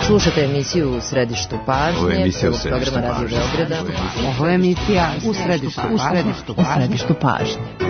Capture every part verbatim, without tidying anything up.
Slušate emisiju U središtu pažnje, prvog programa Radio Beograda. Ovo je emisija U središtu pažnje. U središtu pažnje.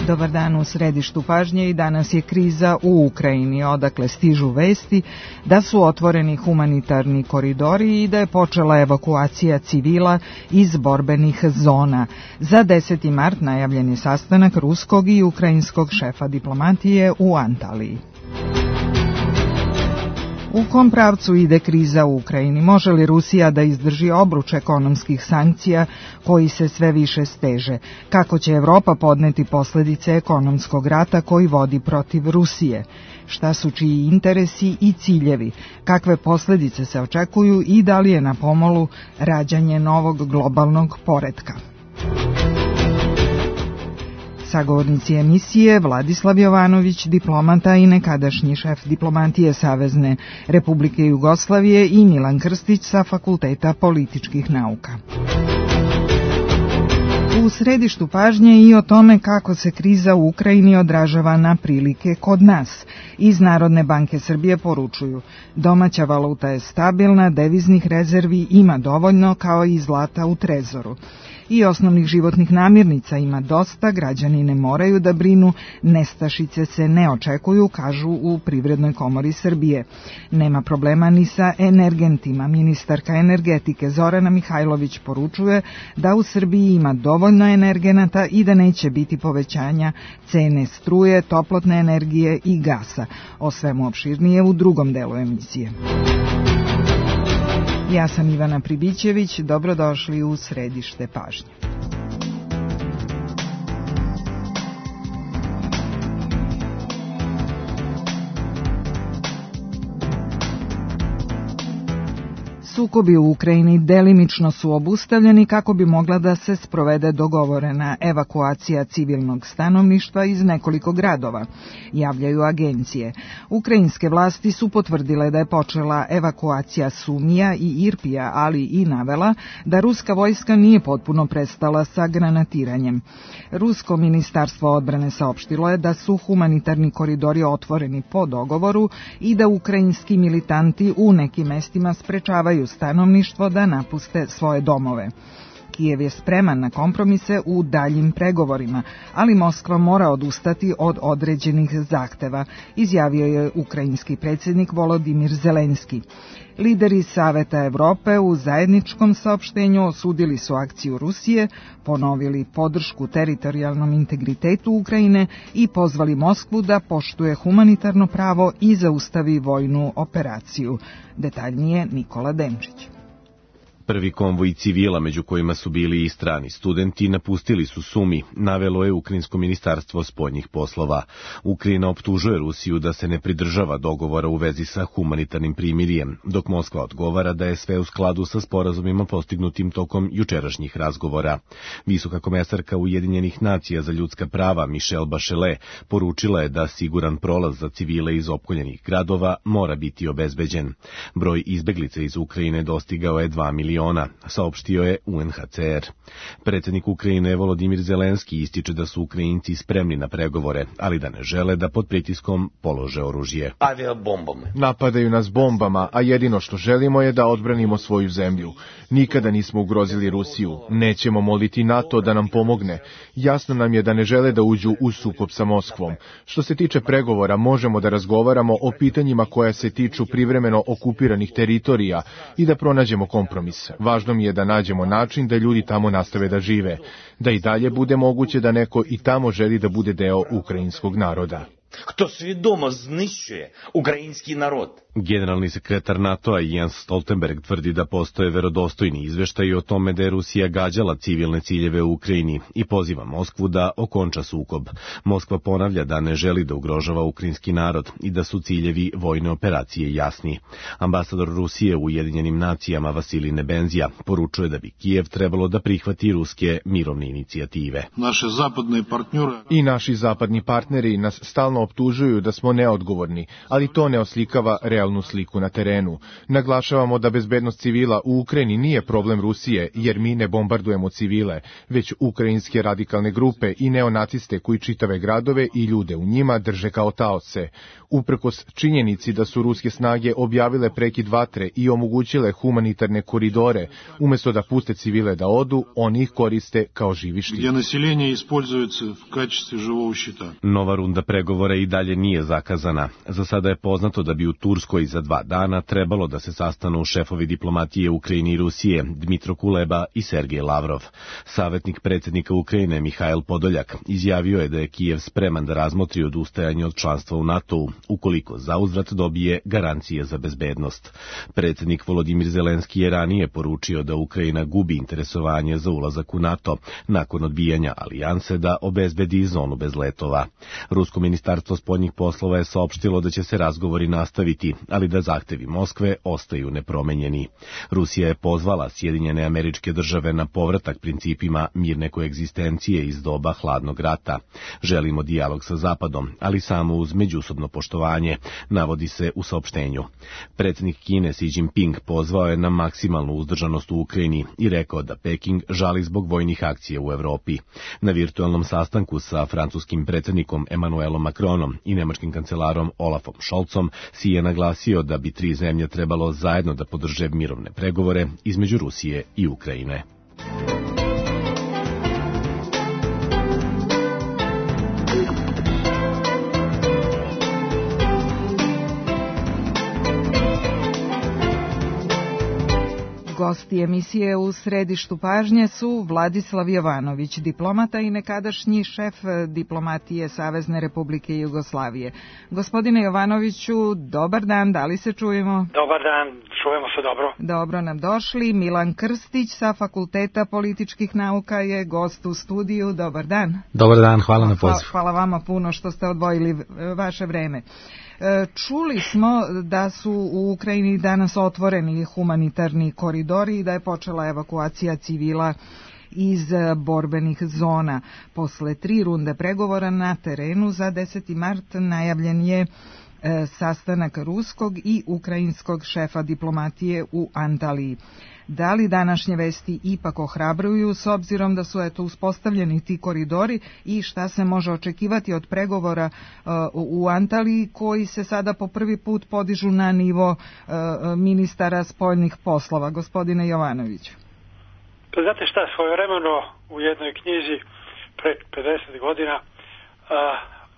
Dobar dan u središtu pažnje i danas je kriza u Ukrajini, odakle stižu vesti da su otvoreni humanitarni koridori i da je počela evakuacija civila iz borbenih zona. Za deseti mart najavljen je sastanak ruskog i ukrajinskog šefa diplomatije u Antaliji. U kom pravcu ide kriza u Ukrajini? Može li Rusija da izdrži obruč ekonomskih sankcija koji se sve više steže? Kako će Evropa podneti posledice ekonomskog rata koji vodi protiv Rusije? Šta su čiji interesi i ciljevi? Kakve posledice se očekuju i da li je na pomolu rađanje novog globalnog poretka? Sagovornici emisije Vladislav Jovanović, diplomata i nekadašnji šef diplomatije Savezne Republike Jugoslavije, i Milan Krstić sa Fakulteta političkih nauka. U središtu pažnje i o tome kako se kriza u Ukrajini odražava na prilike kod nas. Iz Narodne banke Srbije poručuju: domaća valuta je stabilna, deviznih rezervi ima dovoljno kao i zlata u trezoru. I osnovnih životnih namirnica ima dosta, građani ne moraju da brinu, nestašice se ne očekuju, kažu u Privrednoj komori Srbije. Nema problema ni sa energentima. Ministarka energetike Zorana Mihajlović poručuje da u Srbiji ima dovoljno energenata i da neće biti povećanja cene struje, toplotne energije i gasa. O svemu opširnije u drugom delu emisije. Ja sam Ivana Pribićević, dobrodošli u središte pažnje. Sukobi u Ukrajini delimično su obustavljeni kako bi mogla da se sprovede dogovorena evakuacija civilnog stanovništva iz nekoliko gradova, javljaju agencije. Ukrajinske vlasti su potvrdile da je počela evakuacija Sumija i Irpija, ali i navela da ruska vojska nije potpuno prestala sa granatiranjem. Rusko ministarstvo odbrane saopštilo je da su humanitarni koridori otvoreni po dogovoru i da ukrajinski militanti u nekim mestima sprečavaju stanovništvo da napuste svoje domove. Kijev je spreman na kompromise u daljim pregovorima, ali Moskva mora odustati od određenih zahteva, izjavio je ukrajinski predsjednik Volodimir Zelenski. Lideri Saveta Evrope u zajedničkom saopštenju osudili su akciju Rusije, ponovili podršku teritorijalnom integritetu Ukrajine i pozvali Moskvu da poštuje humanitarno pravo i zaustavi vojnu operaciju. Detaljnije Nikola Demčić. Prvi konvoj civila, među kojima su bili i strani studenti, napustili su Sumi, navelo je Ukrajinsko ministarstvo spoljnih poslova. Ukrajina optužuje Rusiju da se ne pridržava dogovora u vezi sa humanitarnim primirjem, dok Moskva odgovara da je sve u skladu sa sporazumima postignutim tokom jučerašnjih razgovora. Visoka komesarka Ujedinjenih nacija za ljudska prava Michelle Bachelet poručila je da siguran prolaz za civile iz opkoljenih gradova mora biti obezbeđen. Broj izbeglica iz Ukrajine dostigao je dva miliona. Saopštio je U N H C R. Predsjednik Ukrajine Volodimir Zelenski ističe da su Ukrajinci spremni na pregovore, ali da ne žele da pod pritiskom polože oružje. Napadaju nas bombama, a jedino što želimo je da odbranimo svoju zemlju. Nikada nismo ugrozili Rusiju. Nećemo moliti NATO da nam pomogne. Jasno nam je da ne žele da uđu u sukob sa Moskvom. Što se tiče pregovora, možemo da razgovaramo o pitanjima koja se tiču privremeno okupiranih teritorija i da pronađemo kompromis. Važno mi je da nađemo način da ljudi tamo nastave da žive, da i dalje bude moguće da neko i tamo želi da bude deo ukrajinskog naroda. Kto svjedomo znищuje ukrajinski narod? Generalni sekretar NATO-a Jens Stoltenberg tvrdi da postoje verodostojni izveštaji o tome da je Rusija gađala civilne ciljeve u Ukrajini i poziva Moskvu da okonča sukob. Moskva ponavlja da ne želi da ugrožava ukrajinski narod i da su ciljevi vojne operacije jasni. Ambasador Rusije u Ujedinjenim nacijama Vasilij Nebenzija poručuje da bi Kijev trebalo da prihvati ruske mirovne inicijative. Naše zapadne partnere I naši zapadni partneri nas stalno optužuju da smo neodgovorni, ali to ne oslikava realnu sliku na terenu. Naglašavamo da bezbednost civila u Ukrajini nije problem Rusije, jer mi ne bombardujemo civile, već ukrajinske radikalne grupe i neonaciste koji čitave gradove i ljude u njima drže kao taoce. Uprkos činjenici da su ruske snage objavile prekid vatre i omogućile humanitarne koridore, umesto da puste civile da odu, oni ih koriste kao živi štit. Gdje naseljenje используется в качестве живого щита. Nova runda pregovora i dalje nije zakazana. Za sada je poznato da bi u Turskoj za dva dana trebalo da se sastanu šefovi diplomatije Ukrajine i Rusije, Dmitro Kuleba i Sergej Lavrov. Savjetnik predsjednika Ukrajine Mihail Podoljak izjavio je da je Kijev spreman da razmotri odustajanje od članstva u NATO-u, ukoliko zauzvrat dobije garancije za bezbednost. Predsjednik Volodimir Zelenski je ranije poručio da Ukrajina gubi interesovanje za ulazak u NATO nakon odbijanja alijanse da obezbedi zonu bez letova. Rusko ministarstvo spoljnih poslova je saopštilo da će se razgovori nastaviti, ali da zahtevi Moskve ostaju nepromenjeni. Rusija je pozvala Sjedinjene Američke Države na povratak principima mirne koegzistencije iz doba hladnog rata. Želimo dijalog sa Zapadom, ali samo uz međusobno poštovanje, navodi se u saopštenju. Predsjednik Kine Xi Jinping pozvao je na maksimalnu uzdržanost u Ukrajini i rekao da Peking žali zbog vojnih akcija u Evropi. Na virtualnom sastanku sa francuskim predsjednikom Emmanuelom Macronom i nemačkim kancelarom Olafom Scholzom Xi je naglasio da bi tri zemlje trebalo zajedno da podrže mirovne pregovore između Rusije i Ukrajine. Gosti emisije U središtu pažnje su Vladislav Jovanović, diplomata i nekadašnji šef diplomatije Savezne Republike Jugoslavije. Gospodine Jovanoviću, dobar dan, da li se čujemo? Dobar dan, čujemo se dobro. Dobro nam došli. Milan Krstić sa Fakulteta političkih nauka je gost u studiju. Dobar dan. Dobar dan, hvala na pozivu. Hvala vama puno što ste odvojili vaše vreme. Čuli smo da su u Ukrajini danas otvoreni humanitarni koridori i da je počela evakuacija civila iz borbenih zona. Posle tri runde pregovora na terenu za deseti mart najavljen je sastanak ruskog i ukrajinskog šefa diplomatije u Antaliji. Da li današnje vesti ipak ohrabruju s obzirom da su eto uspostavljeni ti koridori i šta se može očekivati od pregovora uh, u Antaliji koji se sada po prvi put podižu na nivo uh, ministara spoljnih poslova? Gospodine Jovanoviću. Pa znate šta, svojevremeno u jednoj knjizi pre pedeset godina uh,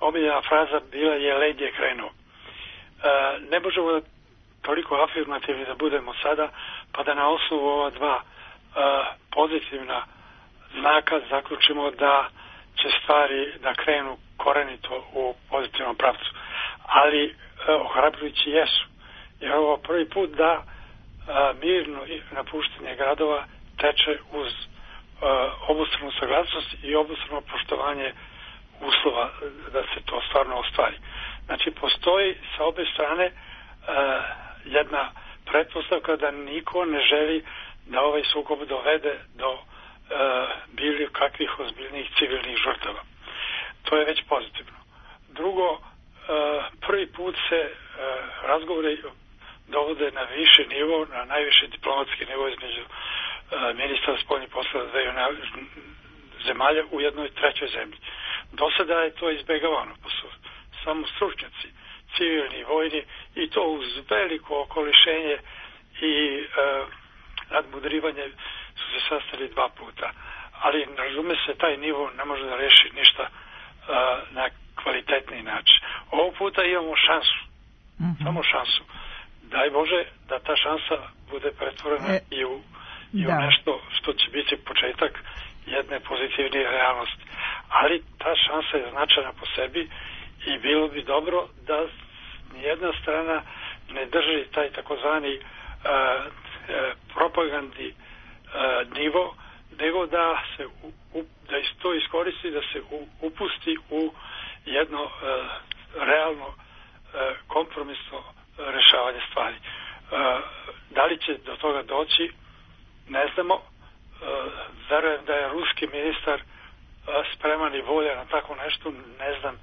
omiljena fraza bila je led je krenuo. Uh, ne možemo toliko afirmativni da budemo sada, pa da na osnovu ova dva uh, pozitivna znaka zaključimo da će stvari da krenu korenito u pozitivnom pravcu. Ali uh, ohrabrujući jesu. Jer ovo prvi put da uh, mirno napuštanje gradova teče uz uh, obostranu saglasnost i obostrano poštovanje uslova da se to stvarno ostvari. Znači, postoji sa obe strane uh, jedna pretpostavka da niko ne želi da ovaj sukob dovede do uh, bilo kakvih ozbiljnih civilnih žrtava. To je već pozitivno. Drugo, uh, prvi put se uh, razgovori dovode na više nivo, na najviše diplomatski nivo između uh, ministra spoljnih poslova dveju zemalja u jednoj trećoj zemlji. Do sada je to izbjegavano, pa su samo stručnjaci, civilni i vojni, i to uz veliko okolišenje i e, nadmudrivanje su se sastali dva puta. Ali, razume se, taj nivo ne može da reši ništa e, na kvalitetni način. Ovog puta imamo šansu, mm-hmm. samo šansu. Daj Bože da ta šansa bude pretvorena e, i, u, i u nešto što će biti početak jedne pozitivnije realnosti. Ali ta šansa je značajna po sebi i bilo bi dobro da nijedna strana ne drži taj takozvani propagandni nivo, nego da se u, da to iskoristi, da se u, upusti u jedno realno kompromisno rešavanje stvari. Da li će do toga doći, ne znamo. Verujem da je ruski ministar spreman i volja na tako nešto. Ne znam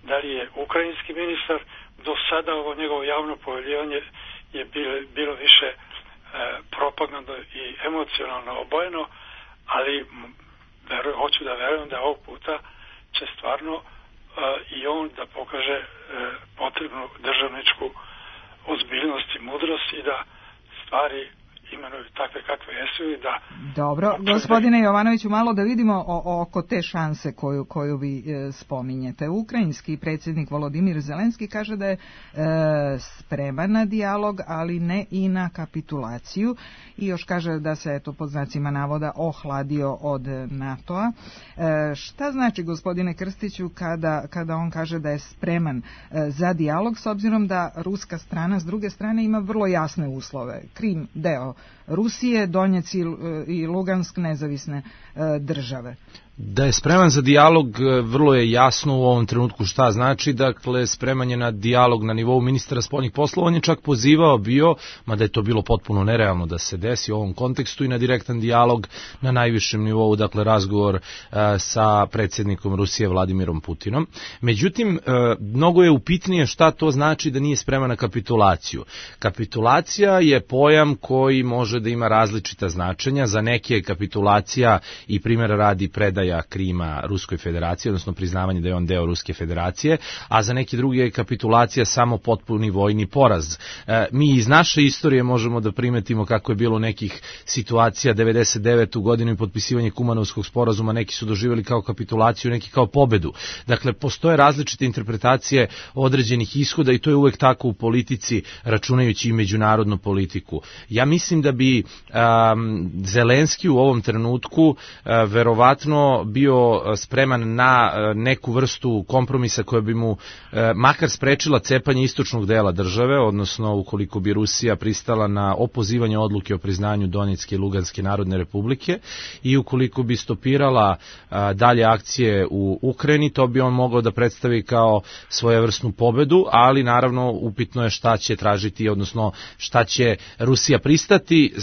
da li je ukrajinski ministar. Do sada ovo njegovo javno pojavljivanje je bilo, bilo više e, propagandno i emocionalno obojeno, ali verujem, hoću da verujem da ovog puta će stvarno e, i on da pokaže e, potrebnu državničku ozbiljnost i mudrost i da stvari imenuju takve kakve jesu i da... Dobro, gospodine Jovanoviću, malo da vidimo o, oko te šanse koju, koju vi e, spominjete. Ukrajinski predsjednik Volodimir Zelenski kaže da je e, spreman na dijalog, ali ne i na kapitulaciju i još kaže da se, eto, pod znacima navoda ohladio od NATO-a. E, šta znači, gospodine Krstiću, kada, kada on kaže da je spreman e, za dijalog, s obzirom da ruska strana s druge strane ima vrlo jasne uslove? Krim deo Rusije, Donjec i Lugansk nezavisne države. Da je spreman za dijalog, vrlo je jasno u ovom trenutku šta znači. Dakle, spreman je na dijalog na nivou ministra spoljnih poslova. On je čak pozivao bio, mada je to bilo potpuno nerealno da se desi u ovom kontekstu, i na direktan dijalog na najvišem nivou, dakle razgovor uh, sa predsjednikom Rusije Vladimirom Putinom. Međutim, uh, mnogo je upitnije šta to znači da nije spreman na kapitulaciju. Kapitulacija je pojam koji može da ima različita značenja. Za neke je kapitulacija, i primjera radi, predaja Krima Ruskoj federaciji, odnosno priznavanje da je on deo Ruske federacije, a za neki drugi je kapitulacija samo potpuni vojni poraz. E, mi iz naše istorije možemo da primetimo kako je bilo nekih situacija. devedeset devetu godinu i potpisivanje Kumanovskog sporazuma neki su doživjeli kao kapitulaciju, neki kao pobedu. Dakle, postoje različite interpretacije određenih ishoda i to je uvek tako u politici, računajući i međunarodnu politiku. Ja mislim da bi um, Zelenski u ovom trenutku uh, verovatno bio spreman na neku vrstu kompromisa koja bi mu makar sprečila cepanje istočnog dela države, odnosno ukoliko bi Rusija pristala na opozivanje odluke o priznanju Donjecke i Luganske narodne republike i ukoliko bi stopirala dalje akcije u Ukrajini, to bi on mogao da predstavi kao svojevrsnu pobedu, ali naravno upitno je šta će tražiti, odnosno šta će Rusija pristati,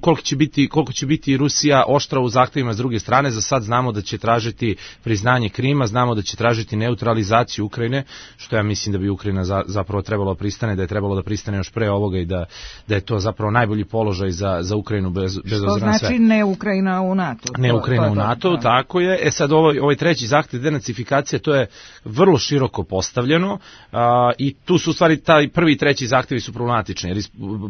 koliko će biti, koliko će biti Rusija oštra u zahtevima s druge strane. Za sad znamo da će tražiti priznanje Krima, znamo da će tražiti neutralizaciju Ukrajine, što ja mislim da bi Ukrajina za, zapravo trebalo pristane, da je trebalo da pristane još pre ovoga i da, da je to zapravo najbolji položaj za, za Ukrajinu bez, bez obzira na sve. Što znači ne Ukrajina u NATO? Ne Ukrajina to, to u NATO, to, tako je. E sad ovaj, ovaj treći zahtev denacifikacije, to je vrlo široko postavljeno a, i tu su u stvari taj prvi i treći zahtevi su problematični, jer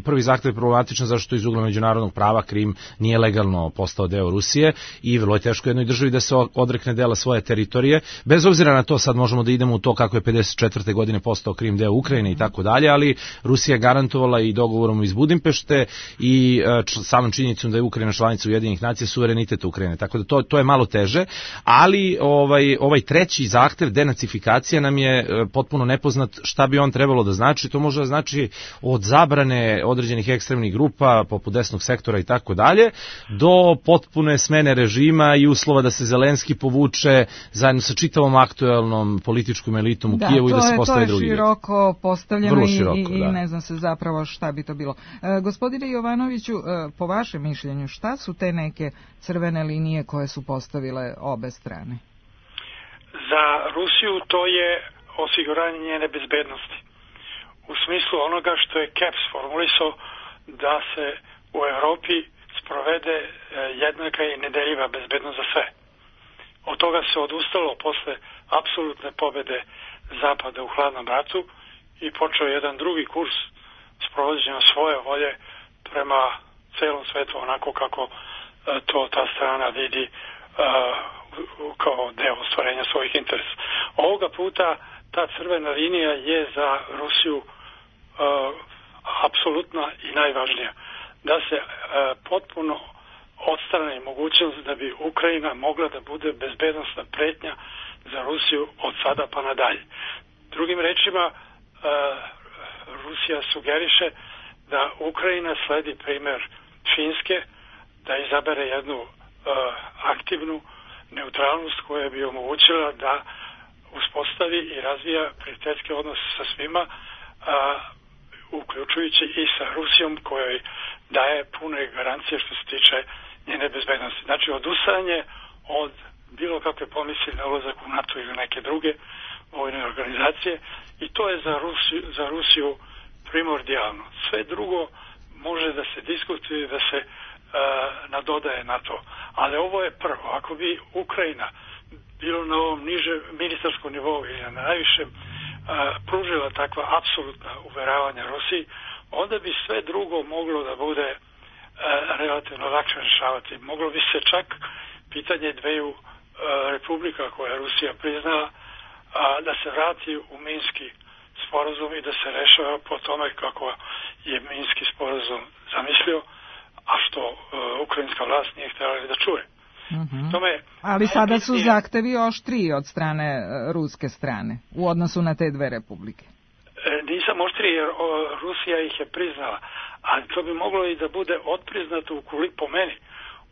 prvi zahtev je problematičan zašto iz ugla međunarodnog prava Krim nije legalno postao deo Rusije i vrlo je teško jednoj državi da se odrekne dela svoje teritorije. Bez obzira na to, sad možemo da idemo u to kako je pedeset četvrte godine postao Krim deo Ukrajine i tako dalje, ali Rusija je garantovala i dogovorom iz Budimpešte i č, samom činjenicom da je Ukrajina članica Ujedinjenih nacija suverenitet Ukrajine. Tako da to, to je malo teže, ali ovaj, ovaj treći zahtev denacifikacija nam je potpuno nepoznat šta bi on trebalo da znači. To može da znači od zabrane određenih ekstremnih grupa poput desnog sektora i tako dalje, do potpune smene režima i uslova da se Zelenski povuče zajedno sa čitavom aktuelnom političkom elitom u da, Kijevu i da se postave drugi. Da, to je široko postavljeno široko, i, i da. ne znam se zapravo šta bi to bilo. E, gospodine Jovanoviću, e, po vašem mišljenju, šta su te neke crvene linije koje su postavile obe strane? Za Rusiju to je osiguranje njene bezbednosti. U smislu onoga što je K E P S formulisao da se u Evropi sprovede jednaka i nedeljiva bezbednost za sve. Od toga se odustalo posle apsolutne pobede Zapada u hladnom ratu i počeo jedan drugi kurs sprovođenja svoje volje prema celom svetu onako kako to ta strana vidi uh, kao deo ostvarenja svojih interesa. Ovoga puta ta crvena linija je za Rusiju uh, apsolutna i najvažnija. Da se uh, potpuno odstrani mogućnost da bi Ukrajina mogla da bude bezbednosna pretnja za Rusiju od sada pa nadalje. Drugim rečima, uh, Rusija sugeriše da Ukrajina sledi primer Finske, da izabere jednu uh, aktivnu neutralnost koja bi omogućila da uspostavi i razvija prijateljske odnose sa svima, uh, uključujući i sa Rusijom kojoj daje pune garancije što se tiče njene bezbednosti. Znači, odustajanje od bilo kakve pomisli na ulazak u NATO ili neke druge vojne organizacije, i to je za Rusiju, za Rusiju primordijalno. Sve drugo može da se diskutuje, da se uh, nadodaje na to. Ali ovo je prvo. Ako bi Ukrajina bilo na ovom niže ministarskom nivou ili na najvišem uh, pružila takva apsolutna uveravanja Rusiji, onda bi sve drugo moglo da bude uh, relativno lakše rešavati. Moglo bi se čak pitanje dveju uh, republika koje je Rusija priznala uh, da se vrati u Minski sporazum i da se rešava po tome kako je Minski sporazum zamislio, a što uh, ukrajinska vlast nije htjela da čuje. Mm-hmm. Tome, ali sada su zahtevi oštriji od strane uh, ruske strane u odnosu na te dve republike. E, nisam oštriji jer o, Rusija ih je priznala, ali to bi moglo i da bude otpriznato ukoliko, po meni,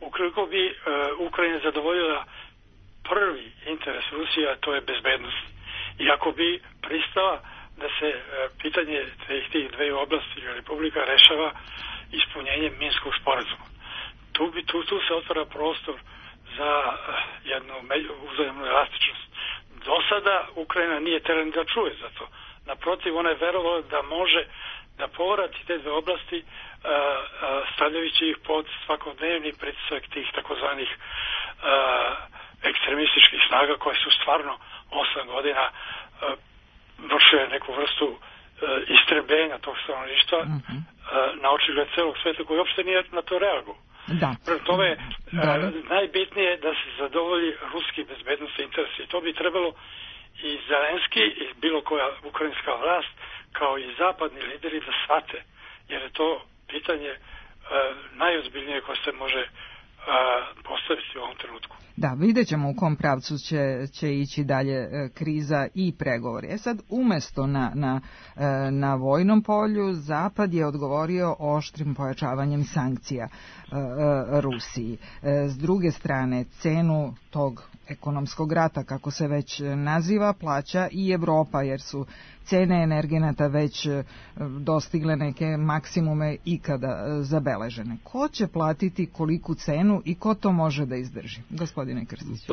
ukoliko bi uh, Ukrajina zadovoljila prvi interes Rusije, a to je bezbednost. I ako bi pristala da se uh, pitanje tih, tih dve oblasti republika rešava ispunjenjem Minskog sporazuma. Tu, bi, tu, tu se otvara prostor za uh, jednu uzajemnu elastičnost. Do sada Ukrajina nije teren da čuje za to. Naprotiv, ona je verovala da može da povrati te dve oblasti uh, uh, stavljajući ih pod svakodnevni pritisak tih takozvanih uh, ekstremističkih snaga koje su stvarno osam godina uh, vršile neku vrstu uh, istrebljenja tog stanovništva mm-hmm. uh, na očigled celog sveta koji uopšte nije na to reagovao. Da. Prema tome, da. Uh, najbitnije je da se zadovolji ruski bezbednostni interes i to bi trebalo i Zelenski i bilo koja ukrajinska vlast kao i zapadni lideri da shvate, jer je to pitanje uh, najozbiljnije koje se može uh, postaviti u ovom trenutku. Da, vidjet ćemo u kom pravcu će, će ići dalje e, kriza i pregovori. E sad, umesto na, na, e, na vojnom polju, Zapad je odgovorio oštrim pojačavanjem sankcija e, e, Rusiji. E, s druge strane, cenu tog ekonomskog rata, kako se već naziva, plaća i Evropa, jer su cene energenata već e, dostigle neke maksimume ikada e, zabeležene. Ko će platiti koliku cenu i ko to može da izdrži? Gospodin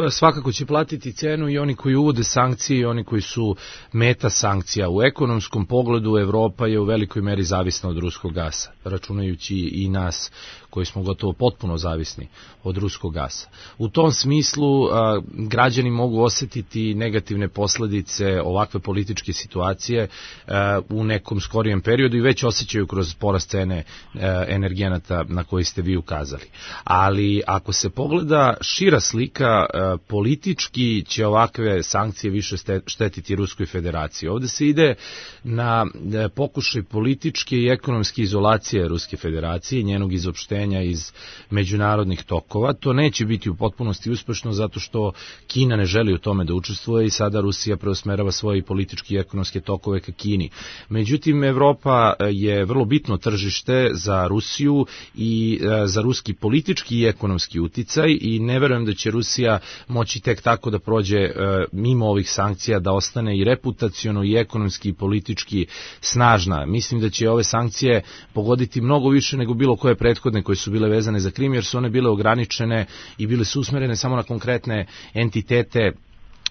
Svakako će platiti cenu i oni koji uvode sankcije i oni koji su meta sankcija. U ekonomskom pogledu Evropa je u velikoj meri zavisna od ruskog gasa, računajući i nas koji smo gotovo potpuno zavisni od ruskog gasa. U tom smislu a, građani mogu osjetiti negativne posljedice ovakve političke situacije a, u nekom skorijem periodu i već osjećaju kroz porast cene a, energenata na koji ste vi ukazali. Ali ako se pogleda šira slika, a, politički će ovakve sankcije više štetiti Ruskoj federaciji. Ovdje se ide na a, pokušaj političke i ekonomske izolacije Ruske federacije, njenog izopštenja iz međunarodnih tokova. To neće biti u potpunosti uspešno zato što Kina ne želi u tome da učestvuje i sada Rusija preusmerava svoje političke i ekonomske tokove ka Kini. Međutim, Evropa je vrlo bitno tržište za Rusiju i za ruski politički i ekonomski uticaj i ne verujem da će Rusija moći tek tako da prođe mimo ovih sankcija, da ostane i reputaciono i ekonomski i politički snažna. Mislim da će ove sankcije pogoditi mnogo više nego bilo koje prethodne koje su bile vezane za Krim, jer su one bile ograničene i bile su usmerene samo na konkretne entitete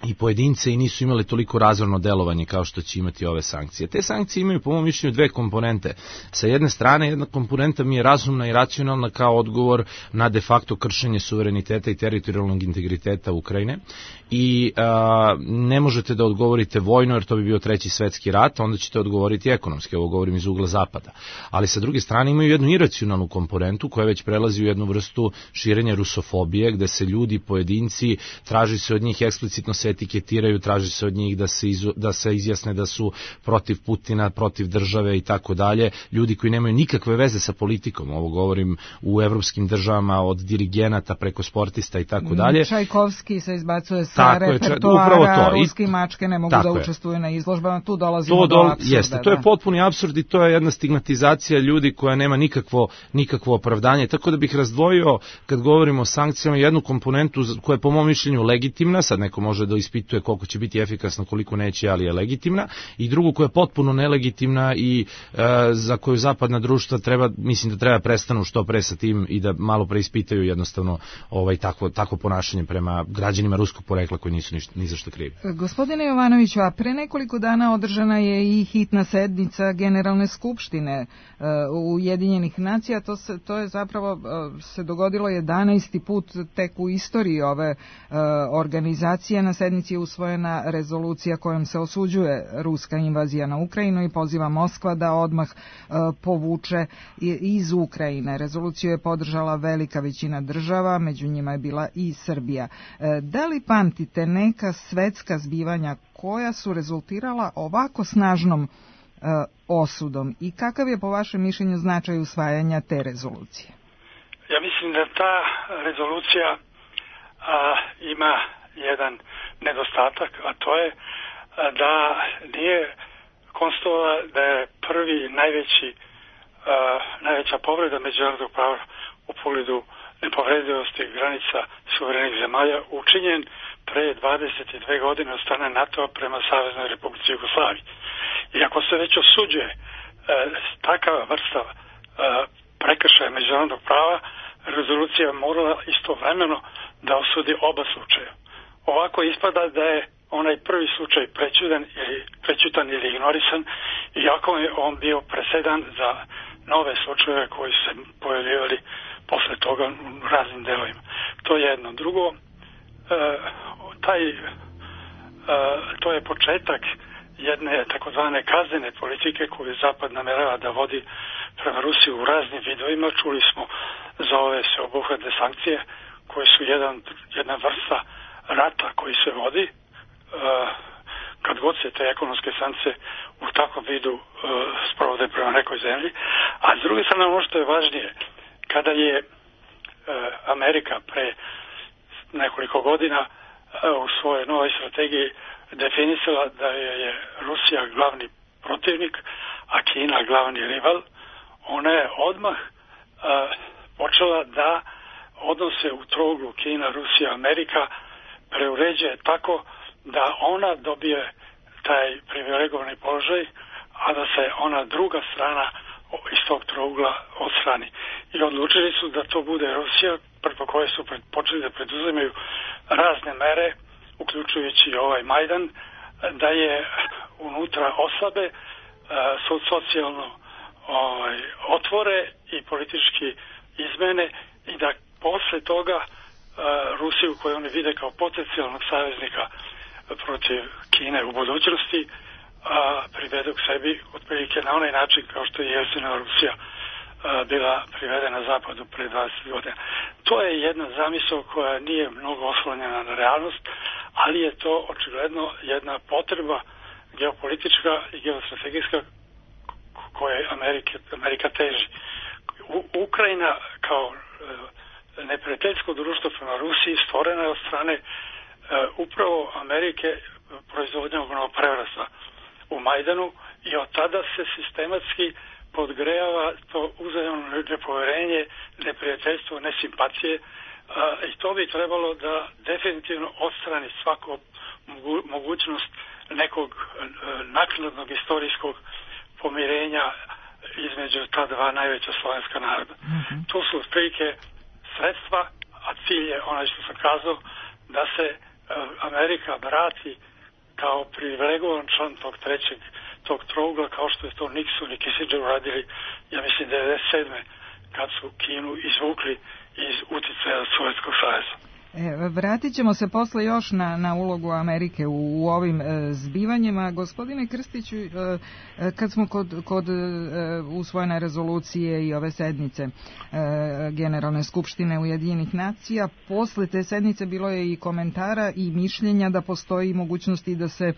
i pojedince i nisu imali toliko razorno delovanje kao što će imati ove sankcije. Te sankcije imaju po mom mišljenju dve komponente. Sa jedne strane, jedna komponenta mi je razumna i racionalna kao odgovor na de facto kršenje suvereniteta i teritorijalnog integriteta Ukrajine i a, ne možete da odgovorite vojno jer to bi bio treći svetski rat, onda ćete odgovoriti ekonomski, ovo govorim iz ugla Zapada. Ali sa druge strane imaju jednu iracionalnu komponentu koja već prelazi u jednu vrstu širenja rusofobije, gde se ljudi, pojedinci, traži se od njih eksplicitno se etiketiraju, traži se od njih da se, izu, da se izjasne da su protiv Putina, protiv države i tako dalje. Ljudi koji nemaju nikakve veze sa politikom, ovo govorim u evropskim državama, od dirigenata preko sportista i tako dalje. Čajkovski se izbacuje sa repertoara, ruski mačke ne mogu da učestvuju na izložbama, tu dolazimo to do apsurda. Jeste, to je potpuni apsurd i to je jedna stigmatizacija ljudi koja nema nikakvo, nikakvo opravdanje. Tako da bih razdvojio, kad govorimo o sankcijama, jednu komponentu koja je po mom mišljenju legitimna, sad neko može da ispituje koliko će biti efikasna, koliko neće, ali je legitimna, i drugu koja je potpuno nelegitimna i e, za koju zapadna društva treba, mislim da treba prestanu što pre sa tim i da malo preispitaju jednostavno ovaj, takvo, takvo ponašanje prema građanima ruskog porekla koji nisu ništa, ni za što krivi. Gospodine Jovanoviću, a pre nekoliko dana održana je i hitna sednica Generalne skupštine uh, Ujedinjenih nacija. To, se, to je zapravo uh, se dogodilo jedanaesti put tek u istoriji ove uh, organizacije. Na sednici je usvojena rezolucija kojom se osuđuje ruska invazija na Ukrajinu i poziva Moskva da odmah uh, povuče iz Ukrajine. Rezoluciju je podržala velika većina država, među njima je bila i Srbija. Uh, da li pamtite neka svetska zbivanja koja su rezultirala ovako snažnom uh, osudom i kakav je po vašem mišljenju značaj usvajanja te rezolucije? Ja mislim da ta rezolucija a, ima jedan nedostatak, a to je a, da nije konstatovala da je prvi najveći a, najveća povreda međunarodnog prava u pogledu nepovredivosti granica suverenih zemalja učinjen pre dvadeset dve godine od strane NATO-a prema Saveznoj Republici Jugoslaviji. I ako se već osuđuje e, takava vrsta e, prekršaja međunarodnog prava, rezolucija morala istovremeno da osudi oba slučaja. Ovako ispada da je onaj prvi slučaj prećutan ili, prećutan ili ignorisan, iako je on bio presedan za nove slučajeve koji su se pojavljivali posle toga u raznim delovima. To je jedno. Drugo, e, taj, e, to je početak jedne takozvane kaznene politike koju Zapad namerava da vodi prema Rusiji u raznim vidovima. Čuli smo za ove sveobuhvatne sankcije koje su jedan, jedna vrsta rata koji se vodi. E, kad god se te ekonomske sankcije u takvom vidu e, sprovode prema nekoj zemlji. A s druge strane, ono što je važnije, kada je e, Amerika pre nekoliko godina e, u svojoj novoj strategiji definisala da je Rusija glavni protivnik, a Kina glavni rival, ona je odmah e, počela da odnose u trouglu Kina, Rusija, Amerika preuređuje tako da ona dobije taj privilegovani položaj, a da se ona druga strana iz tog trougla odstrani. I odlučili su da to bude Rusija, preko koje su pred, počeli da preduzimaju razne mere, uključujući ovaj Majdan, da je unutra oslabe, socijalno ovaj, otvore i politički izmene i da posle toga Rusiju, koju oni vide kao potencijalnog saveznika protiv Kine u budućnosti, a, privedu k sebi otprilike na onaj način kao što je jesenja Rusija a, bila privedena Zapadu pre dvadeset godina. To je jedna zamisao koja nije mnogo oslonjena na realnost, ali je to očigledno jedna potreba geopolitička i geostrategijska koje Amerike, Amerika teži. U, Ukrajina kao e, neprijateljsko društvo prema Rusiji stvorena je od strane Uh, upravo Amerike proizvodnjom prevrasta u Majdanu i od tada se sistematski podgrejava to uzajamno nepoverenje, neprijateljstvo, nesimpacije uh, i to bi trebalo da definitivno odstrani svaku mogu, mogućnost nekog uh, naknadnog istorijskog pomirenja između ta dva najveća slovenska naroda. Mm-hmm. To su otprilike sredstva, a cilj je onaj što sam kazao, da se Amerika vrati kao privilegovan član tog trećeg, tog trougla, kao što je to Nixon i Kissinger uradili, ja mislim, devedeset sedme kad su Kinu izvukli iz uticaja Sovjetskog saveza. E, vratit ćemo se posle još na, na ulogu Amerike u, u ovim e, zbivanjima. Gospodine Krstiću, e, kad smo kod, kod e, usvojene rezolucije i ove sednice e, Generalne skupštine Ujedinjenih nacija, posle te sednice bilo je i komentara i mišljenja da postoji mogućnosti da se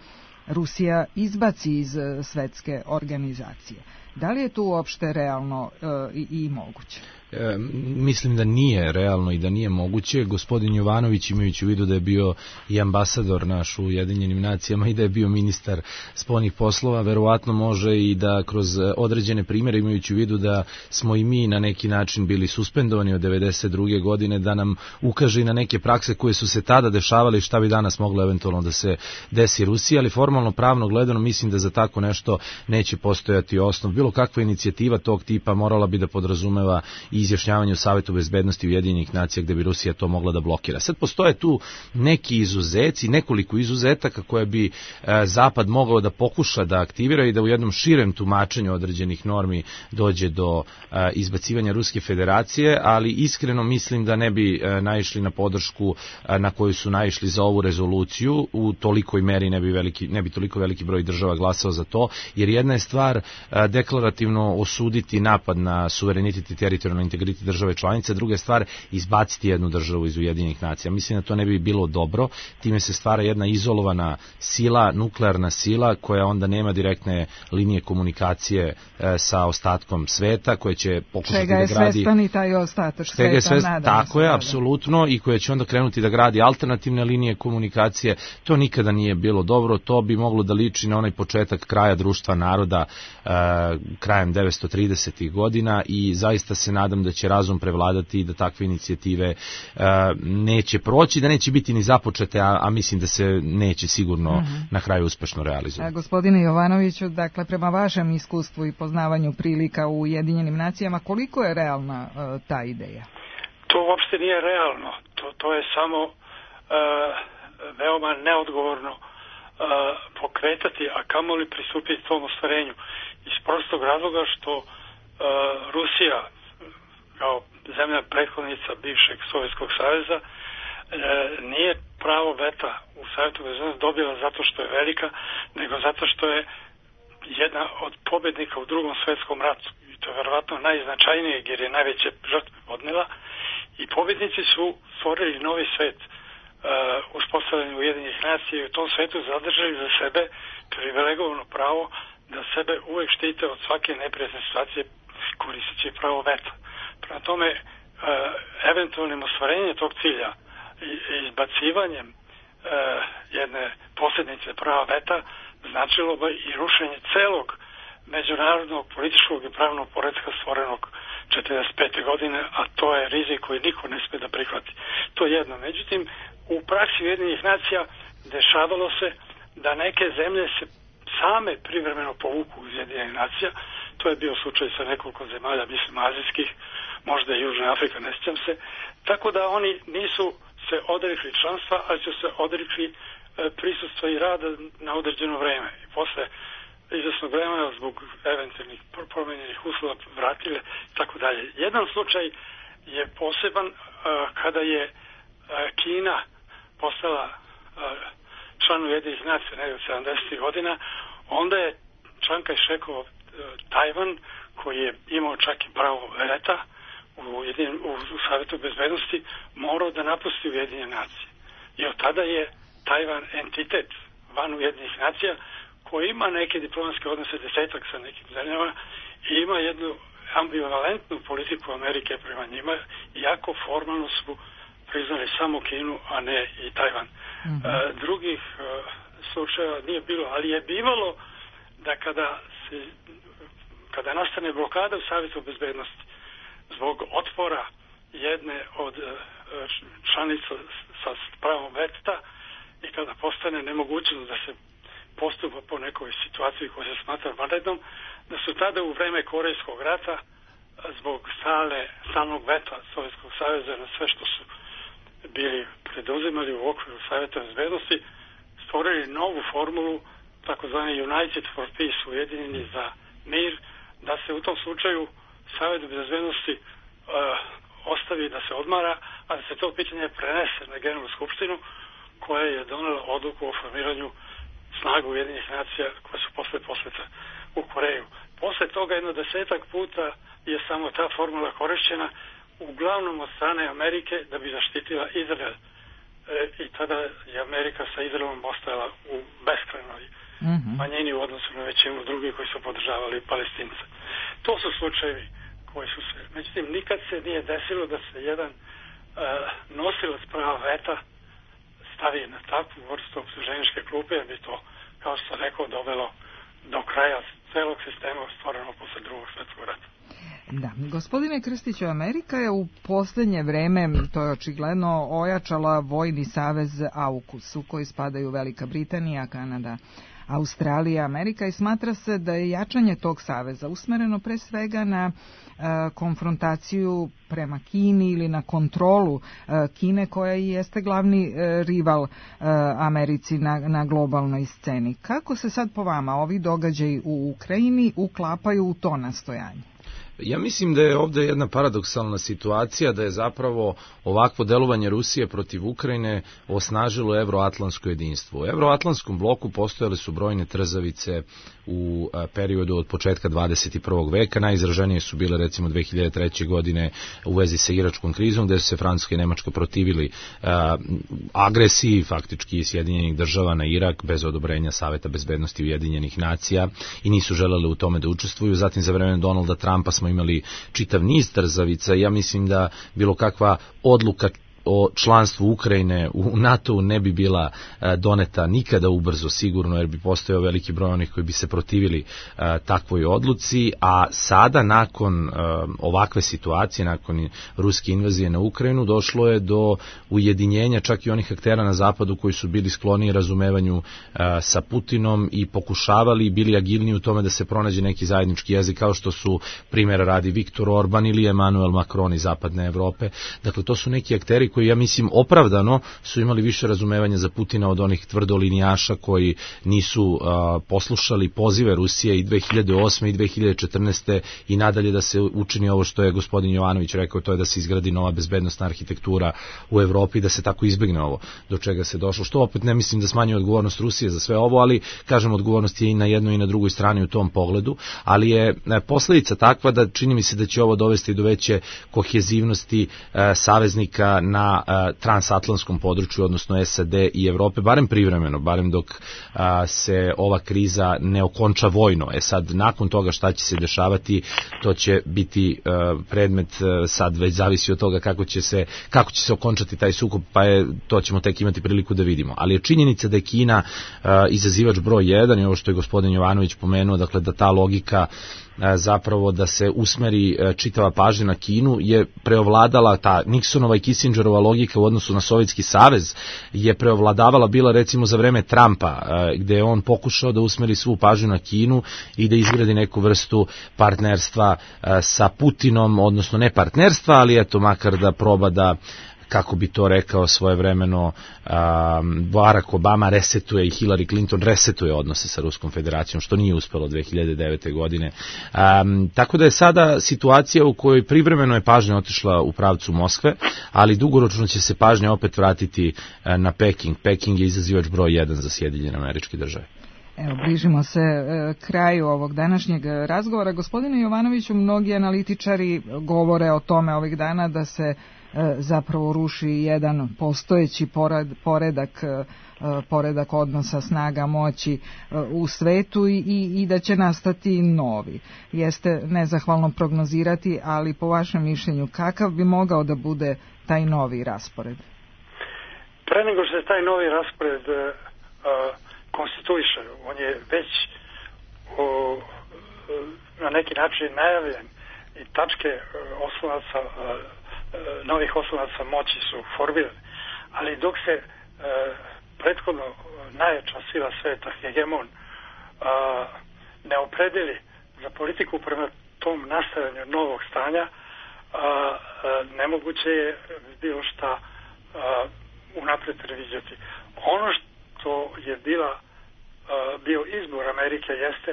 Rusija izbaci iz e, svetske organizacije. Da li je to uopšte realno e, i, i moguće? E, mislim da nije realno i da nije moguće. Gospodin Jovanović, imajući u vidu da je bio i ambasador naš u Ujedinjenim nacijama i da je bio ministar spoljnih poslova, verovatno može i da kroz određene primjere, imajući u vidu da smo i mi na neki način bili suspendovani od devedeset druge godine, da nam ukaže i na neke prakse koje su se tada dešavale i šta bi danas moglo eventualno da se desi Rusiji, ali formalno pravno gledano mislim da za tako nešto neće postojati osnov. Bilo kakva inicijativa tog tipa morala bi da podrazumeva i izjašnjavanje u Savetu bezbednosti Ujedinjenih nacija gde bi Rusija to mogla da blokira. Sad postoje tu neki izuzeci, nekoliko izuzetaka koje bi e, Zapad mogao da pokuša da aktivira i da u jednom širem tumačenju određenih normi dođe do e, izbacivanja Ruske federacije, ali iskreno mislim da ne bi e, naišli na podršku e, na koju su naišli za ovu rezoluciju, u tolikoj meri ne bi, veliki, ne bi toliko veliki broj država glasao za to, jer jedna je stvar e, deklarativno osuditi napad na suverenitet i teritorijalno integritet države članice, druga je stvar izbaciti jednu državu iz Ujedinjenih nacija. Mislim da to ne bi bilo dobro, time se stvara jedna izolovana sila, nuklearna sila koja onda nema direktne linije komunikacije e, sa ostatkom sveta, koje će pokušati čega da gradi... Čega je svestan i taj ostatak sveta, svest... nadam Tako se, je, da, apsolutno, i koja će onda krenuti da gradi alternativne linije komunikacije. To nikada nije bilo dobro, to bi moglo da liči na onaj početak kraja društva naroda e, krajem devetsto tridesetih godina i zaista se nadam da će razum prevladati i da takve inicijative e, neće proći, da neće biti ni započete, a, a mislim da se neće sigurno mm-hmm. na kraju uspešno realizovati. Gospodine Jovanoviću, dakle, prema vašem iskustvu i poznavanju prilika u Ujedinjenim nacijama, koliko je realna e, ta ideja? To uopšte nije realno. To, to je samo e, veoma neodgovorno e, pokretati, a kamoli pristupiti tom ostvarenju. Iz prostog razloga što e, Rusija kao zemlja prethodnica bivšeg Sovjetskog saveza, e, nije pravo veta u Savetu bezbednosti dobila zato što je velika, nego zato što je jedna od pobednika u Drugom svetskom ratu. I to je verovatno najznačajnije jer je najveće žrtve podnela. I pobednici su stvorili novi svet, e, uspostavljanje Ujedinjenih nacija i u tom svetu zadržali za sebe privilegovano pravo da sebe uvek štite od svake neprijatne situacije koristeći pravo veta. Prema tome, e, eventualnim ostvarenjem tog cilja i izbacivanjem e, jedne posljednice prava veta značilo bi i rušenje celog međunarodnog političkog i pravnog poretka stvorenog četrdeset pete godine, a to je rizik koji niko ne sme da prihvati. To je jedno. Međutim, u praksi Ujedinjenih nacija dešavalo se da neke zemlje se same privremeno povuku iz Ujedinjenih nacija. To je bio slučaj sa nekoliko zemalja, mislim azijskih, možda i Južna Afrika, ne sjećam se. Tako da oni nisu se odrekli članstva, ali su se odrekli e, prisustva i rada na određeno vreme. I posle izvesnog vremena zbog eventualnih promenjenih uslova vratile i tako dalje. Jedan slučaj je poseban e, kada je e, Kina postala e, član Ujedinjenih nacija negdje od sedamdesetih godina, onda je Čang Kaj-šekov Tajvan, koji je imao čak i pravo veta u, jedin, u, u Savetu bezbednosti, morao da napusti Ujedinjene nacije. I od tada je Tajvan entitet van Ujedinjenih nacija koji ima neke diplomatske odnose desetak sa nekim zemljama i ima jednu ambivalentnu politiku Amerike prema njima, iako formalno su priznali samo Kinu, a ne i Tajvan. Mm-hmm. E, drugih e, slučajeva nije bilo, ali je bivalo da kada se kada nastane blokada u Savetu bezbednosti zbog otpora jedne od članica sa pravom veta i kada postane nemogućnost da se postupa po nekoj situaciji koja se smatra vanrednom, da su tada u vreme Korejskog rata zbog stale, stalnog veta Sovjetskog saveza na sve što su bili preduzimali u okviru Saveta bezbednosti, stvorili novu formulu, takozvani United for Peace, ujedinjeni za mir, da se u tom slučaju Savet bezbednosti uh, ostavi da se odmara, a da se to pitanje prenese na Generalnu skupštinu koja je donela odluku o formiranju snaga Ujedinjenih nacija koje su posle posleta u Koreju. Posle toga jedno desetak puta je samo ta formula korišćena, uglavnom od strane Amerike da bi zaštitila Izrael. E, I tada je Amerika sa Izraelom ostajala u beskrajnoj mm-hmm. manjini u odnosu na većinu drugih koji su podržavali Palestince. To su slučajevi koji su se, međutim, nikad se nije desilo da se jedan e, nosilac prava veta stavi na takvu vrstu optuženičke klupe, jer bi to, kao što sam rekao, dovelo do kraja celog sistema stvoreno posle drugog svjetskog rata. Da, gospodine Krstiću, Amerika je u posljednje vreme, to je očigledno, ojačala vojni savez AUKUS, u koji spadaju Velika Britanija, Kanada, Australija, Amerika, i smatra se da je jačanje tog saveza usmereno pre svega na e, konfrontaciju prema Kini ili na kontrolu e, Kine, koja i jeste glavni e, rival e, Americi na, na globalnoj sceni. Kako se sad po vama ovi događaji u Ukrajini uklapaju u to nastojanje? Ja mislim da je ovdje jedna paradoksalna situacija, da je zapravo ovakvo delovanje Rusije protiv Ukrajine osnažilo evroatlantsko jedinstvo. U evroatlantskom bloku postojale su brojne trzavice u periodu od početka dvadeset prvog veka. Najizraženije su bile recimo dve hiljade treće. godine u vezi sa iračkom krizom, gdje su se Francuska i Nemačka protivili a, agresiji faktički Sjedinjenih država na Irak bez odobrenja Saveta bezbednosti Ujedinjenih nacija i nisu želeli u tome da učestvuju. Zatim za vreme Donalda Trumpa smo imali čitav niz trzavica. Ja mislim da bilo kakva odluka o članstvu Ukrajine u NATO ne bi bila doneta nikada ubrzo sigurno, jer bi postojao veliki broj onih koji bi se protivili a, takvoj odluci, a sada nakon a, ovakve situacije, nakon ruske invazije na Ukrajinu, došlo je do ujedinjenja čak i onih aktera na zapadu koji su bili skloni razumevanju a, sa Putinom i pokušavali, bili agilni u tome da se pronađe neki zajednički jezik, kao što su primjera radi Viktor Orban ili Emmanuel Macron iz zapadne Evrope. Dakle, to su neki akteri koji, ja mislim, opravdano su imali više razumevanja za Putina od onih tvrdolinijaša koji nisu a, poslušali pozive Rusije i dve hiljade osme i dve hiljade četrnaeste. i nadalje da se učini ovo što je gospodin Jovanović rekao, to je da se izgradi nova bezbednosna arhitektura u Evropi, da se tako izbegne ovo do čega se došlo. Što opet ne mislim da smanjuje odgovornost Rusije za sve ovo, ali kažem, odgovornost je i na jednoj i na drugoj strani u tom pogledu, ali je posljedica takva da čini mi se da će ovo dovesti do veće kohezivnosti a, saveznika na a, transatlantskom području, odnosno S A D i Evrope, barem privremeno, barem dok a, se ova kriza ne okonča vojno. E sad, nakon toga šta će se dešavati, to će biti a, predmet, a, sad već zavisi od toga kako će se, kako će se okončati taj sukob, pa je, to ćemo tek imati priliku da vidimo. Ali je činjenica da je Kina a, izazivač broj jedan, i ovo što je gospodin Jovanović pomenuo, dakle da ta logika zapravo da se usmeri čitava pažnja na Kinu je preovladala, ta Nixonova i Kissingerova logika u odnosu na Sovjetski savez je preovladavala bila recimo za vreme Trumpa, gde je on pokušao da usmeri svu pažnju na Kinu i da izgradi neku vrstu partnerstva sa Putinom, odnosno ne partnerstva, ali eto makar da proba da, kako bi to rekao svojevremeno um, Barack Obama, resetuje i Hillary Clinton resetuje odnose sa Ruskom federacijom, što nije uspelo dve hiljade devete. godine. Um, tako da je sada situacija u kojoj privremeno je pažnja otišla u pravcu Moskve, ali dugoročno će se pažnja opet vratiti uh, na Peking. Peking je izazivač broj jedan za Sjedinjene Američke Države. Evo, bližimo se e, kraju ovog današnjeg razgovora. Gospodine Jovanoviću, mnogi analitičari govore o tome ovih dana da se e, zapravo ruši jedan postojeći pored, poredak, e, poredak odnosa snaga moći e, u svetu i, i, i da će nastati novi. Jeste nezahvalno prognozirati, ali po vašem mišljenju kakav bi mogao da bude taj novi raspored? Pre nego što je taj novi raspored uh, konstituiše, on je već o, na neki način najavljen i tačke oslonaca, novih oslonaca moći su formirane, ali dok se prethodno najjača sila sveta, hegemon, ne opredeli za politiku prema tom nastajanju novog stanja, nemoguće je bilo šta unapred predviđati. Ono što je bila bio izbor Amerike jeste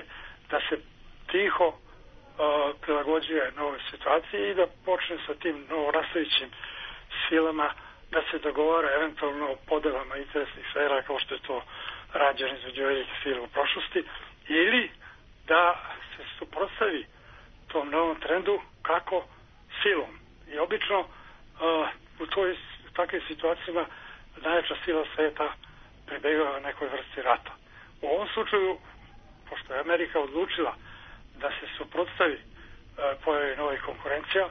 da se tiho uh, prilagođuje novoj situaciji i da počne sa tim novorastajućim silama da se dogovara eventualno o podelama interesnih sfera kao što je to rađeno između velikih sila u prošlosti, ili da se suprotstavi tom novom trendu kako silom. I obično uh, u toj takvim situacijama najjača sila sveta pribegava nekoj vrsti rata. U ovom slučaju, pošto je Amerika odlučila da se suprotstavi uh, pojavi novih konkurencija,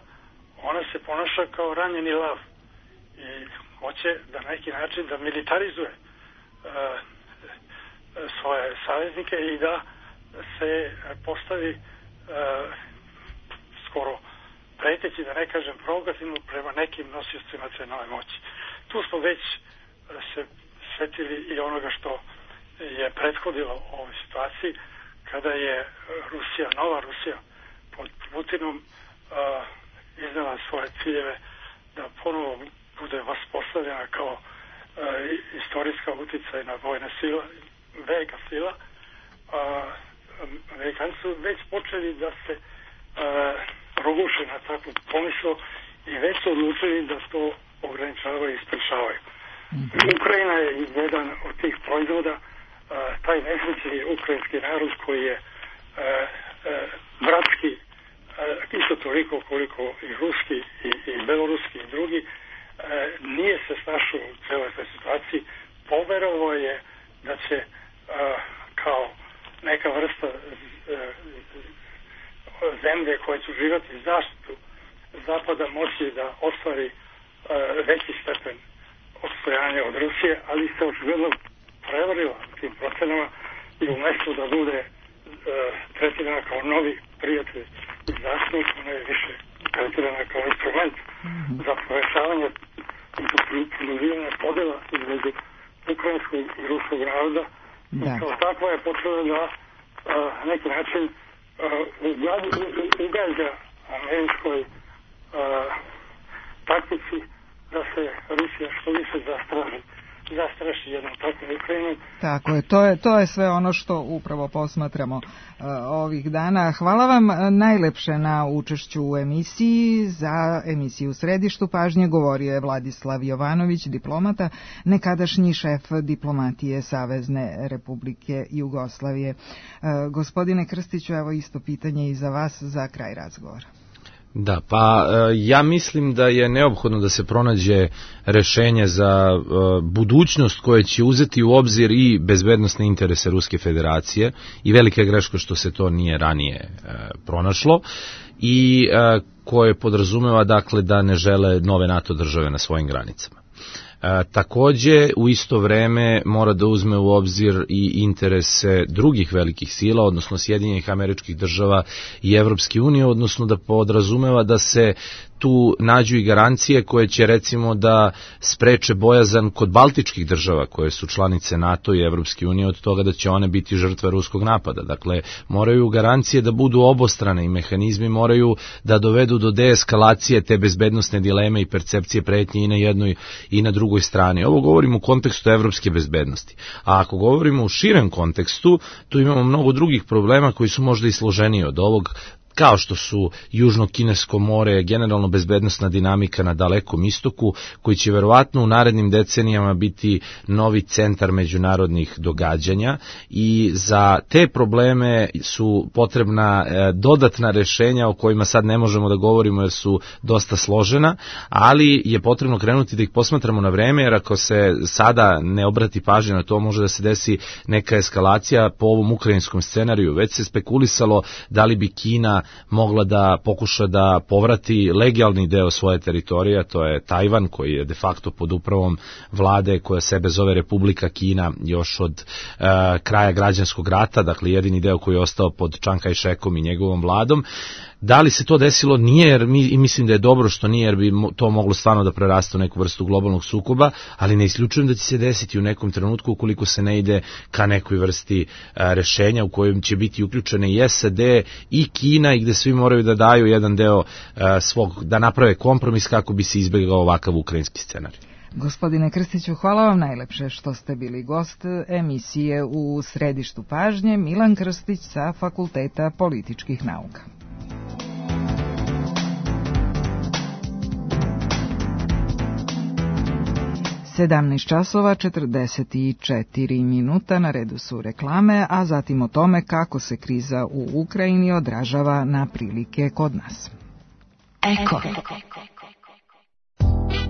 ona se ponaša kao ranjeni lav i hoće da na neki način da militarizuje uh, svoje saveznike i da se postavi uh, skoro preteći, da ne kažem provokativno, prema nekim nosiocima nacionalne moći. Tu smo već se svetili i onoga što je prethodilo ovoj situaciji, kada je Rusija, nova Rusija pod Putinom uh, iznala svoje ciljeve da ponovo bude vaspostavljena kao uh, istorijska uticajna vojna sila, velika sila. Uh, Amerikanci su već počeli da se uh, roguše na takvu pomislu i već su odlučili da to ograničavaju i sprečavaju. Mm-hmm. Ukrajina je jedan od tih proizvoda, uh, taj nesrećni ukrajinski narod koji je uh, uh, bratski, uh, isto toliko koliko i ruski i, i beloruski i drugi, uh, nije se snašao u celoj toj situaciji, poverovao je da će uh, kao neka vrsta uh, zemlje koje će uživati zaštitu Zapada moći da ostvari uh, veći stepen odstojanja od Rusije, ali se očigledno prevarila tim procenama i umjesto da bude uh, tretirana kao novi prijatelj i zaštitnik, ona je više tretirana kao instrument za povećavanje i produživanje podela između ukrajinskog i ruskog naroda. Da. I kao takva je počela da uh, na neki način uh, ugađa američkoj uh, taktici da se Rusija što više zastraži, zastraši jednom takvom Ukrajinu. Tako je, to je, to je sve ono što upravo posmatramo uh, ovih dana. Hvala vam najlepše na učešću u emisiji. Za emisiju u središtu pažnje govorio je Vladislav Jovanović, diplomata, nekadašnji šef diplomatije Savezne Republike Jugoslavije. Uh, gospodine Krstiću, evo isto pitanje i za vas za kraj razgovora. Da, pa ja mislim da je neophodno da se pronađe rešenje za budućnost koje će uzeti u obzir i bezbednosne interese Ruske federacije i velika je greška što se to nije ranije pronašlo i koje podrazumeva dakle da ne žele nove NATO države na svojim granicama. E, takođe, u isto vreme mora da uzme u obzir i interese drugih velikih sila, odnosno Sjedinjenih Američkih Država i Evropske unije, odnosno da podrazumeva da se tu nađu i garancije koje će recimo da spreče bojazan kod baltičkih država koje su članice NATO i Evropske unije od toga da će one biti žrtve ruskog napada. Dakle, moraju garancije da budu obostrane i mehanizmi moraju da dovedu do deeskalacije te bezbednosne dileme i percepcije pretnje i na jednoj i na drugoj strani. Ovo govorimo u kontekstu evropske bezbednosti. A ako govorimo u širem kontekstu, tu imamo mnogo drugih problema koji su možda i složeniji od ovog, kao što su Južno Kinesko more, generalno bezbednosna dinamika na Dalekom istoku, koji će verovatno u narednim decenijama biti novi centar međunarodnih događanja i za te probleme su potrebna dodatna rešenja o kojima sad ne možemo da govorimo jer su dosta složena, ali je potrebno krenuti da ih posmatramo na vreme, jer ako se sada ne obrati pažnja na to, može da se desi neka eskalacija po ovom ukrajinskom scenariju. Već se spekulisalo da li bi Kina mogla da pokuša da povrati legalni deo svoje teritorije, to je Tajvan, koji je de facto pod upravom vlade koja sebe zove Republika Kina još od uh, kraja građanskog rata, dakle jedini deo koji je ostao pod Čang Kaj-šekom i njegovom vladom. Da li se to desilo? Nije, jer mi, mislim da je dobro što nije, jer bi to moglo stvarno da preraste u neku vrstu globalnog sukoba, ali ne isključujem da će se desiti u nekom trenutku ukoliko se ne ide ka nekoj vrsti a, rešenja u kojem će biti uključene i S A D i Kina i gde svi moraju da daju jedan deo a, svog, da naprave kompromis kako bi se izbegao ovakav ukrajinski scenarij. Gospodine Krstiću, hvala vam najlepše što ste bili gost emisije u središtu pažnje. Milan Krstić sa Fakulteta političkih nauka. sedamnaest časova četrdeset četiri minuta, na redu su reklame, a zatim o tome kako se kriza u Ukrajini odražava na prilike kod nas. Eko.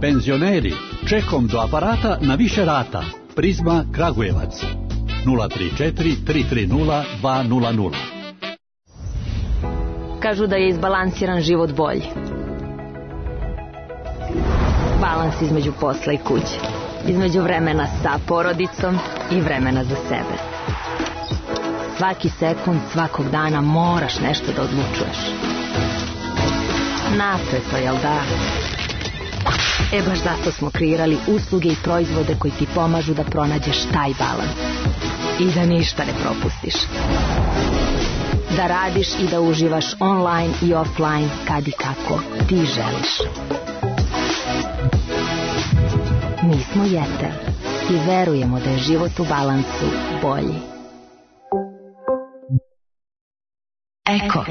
Penzioneri, čekom do aparata na više rata. Prizma Kragujevac. nula tri četiri tri tri nula dva nula nula. Kažu da je izbalansiran život bolji. Balans između posla i kuće. Između vremena sa porodicom i vremena za sebe. Svaki sekund, svakog dana moraš nešto da odlučuješ. Napeto, jel da? E baš zato smo kreirali usluge i proizvode koji ti pomažu da pronađeš taj balans. I da ništa ne propustiš. Da radiš i da uživaš online i offline kad i kako ti želiš. Mi smo Jetel i verujemo da je život u balansu bolji. Eko.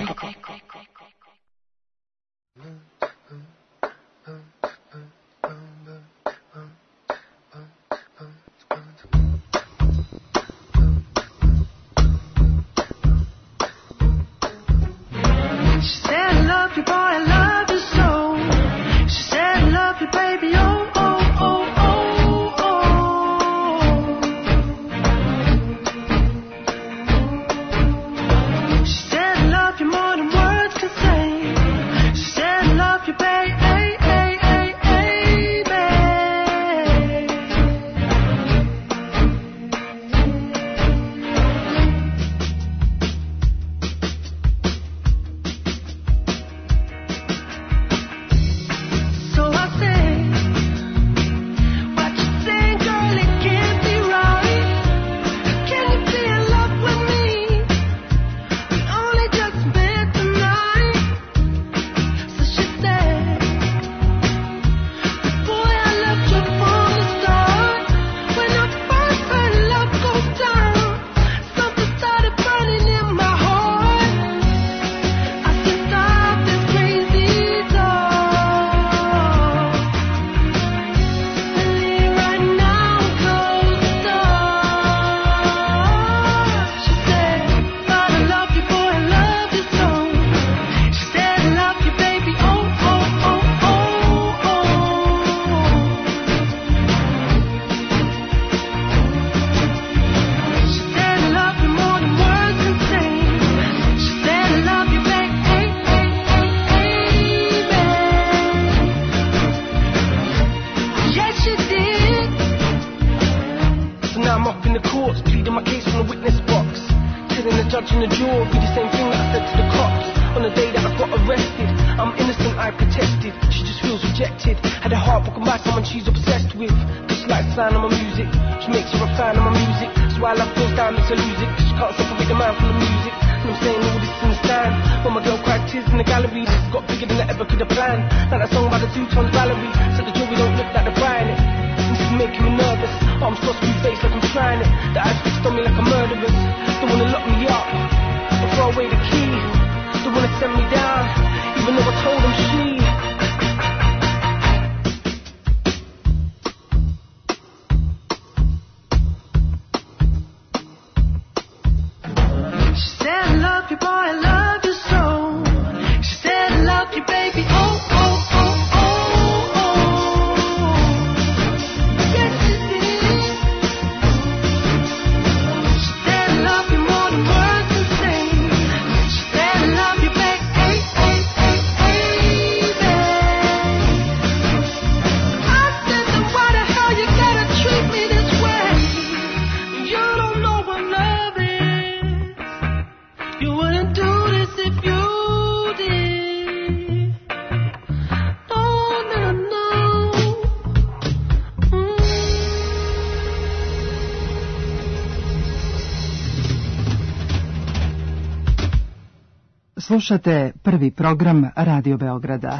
Slušate prvi program Radio Beograda.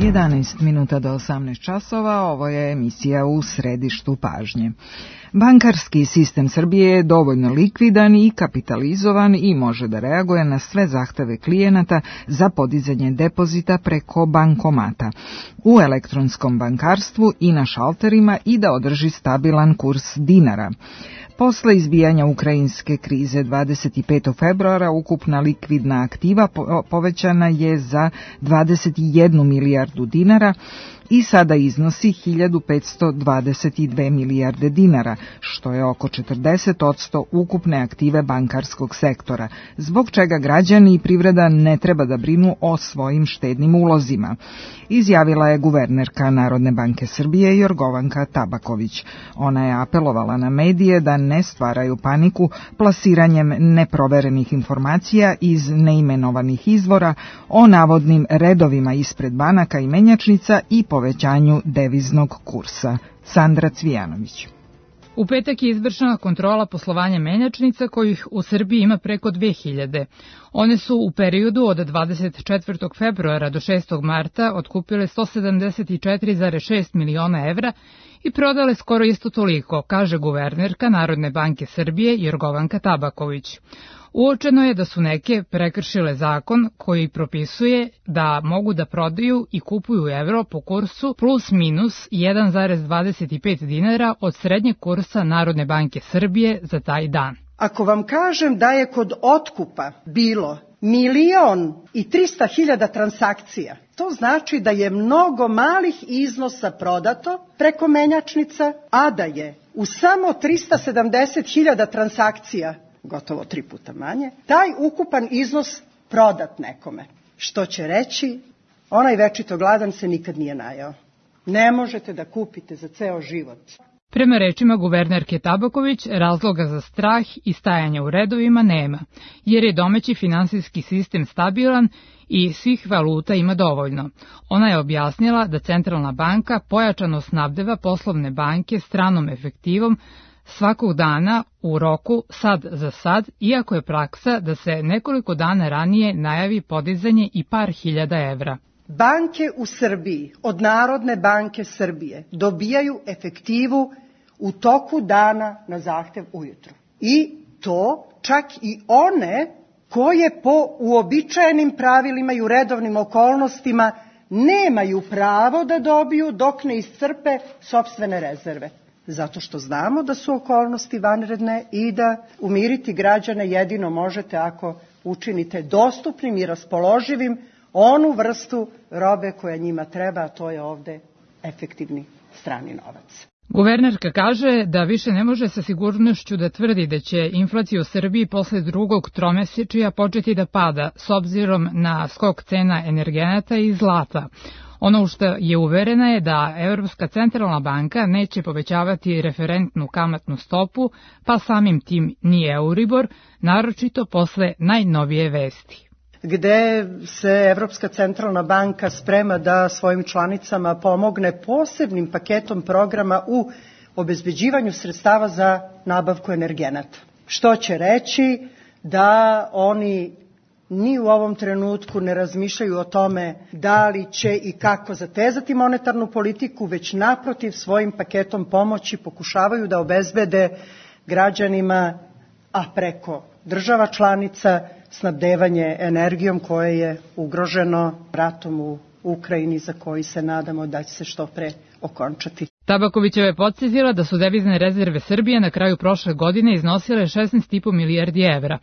jedanaest minuta do osamnaest časova, ovo je emisija U središtu pažnje. Bankarski sistem Srbije je dovoljno likvidan i kapitalizovan i može da reaguje na sve zahteve klijenata za podizanje depozita preko bankomata, u elektronskom bankarstvu i na šalterima i da održi stabilan kurs dinara. Posle izbijanja ukrajinske krize dvadeset petog februara ukupna likvidna aktiva povećana je za dvadeset jednu milijardu dinara i sada iznosi hiljadu petsto dvadeset dve milijarde dinara, što je oko četrdeset posto ukupne aktive bankarskog sektora, zbog čega građani i privreda ne treba da brinu o svojim štednim ulozima, izjavila je guvernerka Narodne banke Srbije Jorgovanka Tabaković. Ona je apelovala na medije da ne stvaraju paniku plasiranjem neproverenih informacija iz neimenovanih izvora o navodnim redovima ispred banaka i menjačnica i povećanju deviznog kursa. Sandra Cvijanović. U petak je izvršena kontrola poslovanja menjačnica kojih u Srbiji ima preko dve hiljade. One su u periodu od dvadeset četvrtog februara do šestog marta otkupile sto sedamdeset četiri zarez šest miliona evra i prodale skoro isto toliko, kaže guvernerka Narodne banke Srbije Jorgovanka Tabaković. Uočeno je da su neke prekršile zakon koji propisuje da mogu da prodaju i kupuju evro po kursu plus minus jedan zarez dvadeset pet dinara od srednjeg kursa Narodne banke Srbije za taj dan. Ako vam kažem da je kod otkupa bilo milion i trista hiljada transakcija, to znači da je mnogo malih iznosa prodato preko menjačnica, a da je u samo trista sedamdeset hiljada transakcija, gotovo tri puta manje, taj ukupan iznos prodat nekome. Što će reći, onaj večito gladan se nikad nije najao. Ne možete da kupite za ceo život. Prema rečima guvernerke Tabaković, razloga za strah i stajanje u redovima nema, jer je domaći finansijski sistem stabilan i svih valuta ima dovoljno. Ona je objasnila da Centralna banka pojačano snabdeva poslovne banke stranom efektivom svakog dana u roku sad za sad, iako je praksa da se nekoliko dana ranije najavi podizanje i par hiljada evra. Banke u Srbiji od Narodne banke Srbije dobijaju efektivu u toku dana na zahtev ujutru. I to čak i one koje po uobičajenim pravilima i u redovnim okolnostima nemaju pravo da dobiju dok ne iscrpe sopstvene rezerve. Zato što znamo da su okolnosti vanredne i da umiriti građane jedino možete ako učinite dostupnim i raspoloživim onu vrstu robe koja njima treba, a to je ovde efektivni strani novac. Guvernerka kaže da više ne može sa sigurnošću da tvrdi da će inflacija u Srbiji posle drugog tromesečja početi da pada s obzirom na skok cena energenata i zlata. Ono što je uverena je da Evropska centralna banka neće povećavati referentnu kamatnu stopu, pa samim tim ni Euribor, naročito posle najnovije vesti. Gde se Evropska centralna banka sprema da svojim članicama pomogne posebnim paketom programa u obezbeđivanju sredstava za nabavku energenata. Što će reći da oni ni u ovom trenutku ne razmišljaju o tome da li će i kako zatezati monetarnu politiku, već naprotiv svojim paketom pomoći pokušavaju da obezbede građanima, a preko država članica, snabdevanje energijom koje je ugroženo ratom u Ukrajini, za koji se nadamo da će se što pre okončati. Tabakovićeva je podsjetila da su devizne rezerve Srbije na kraju prošle godine iznosile šesnaest i po milijardi evra.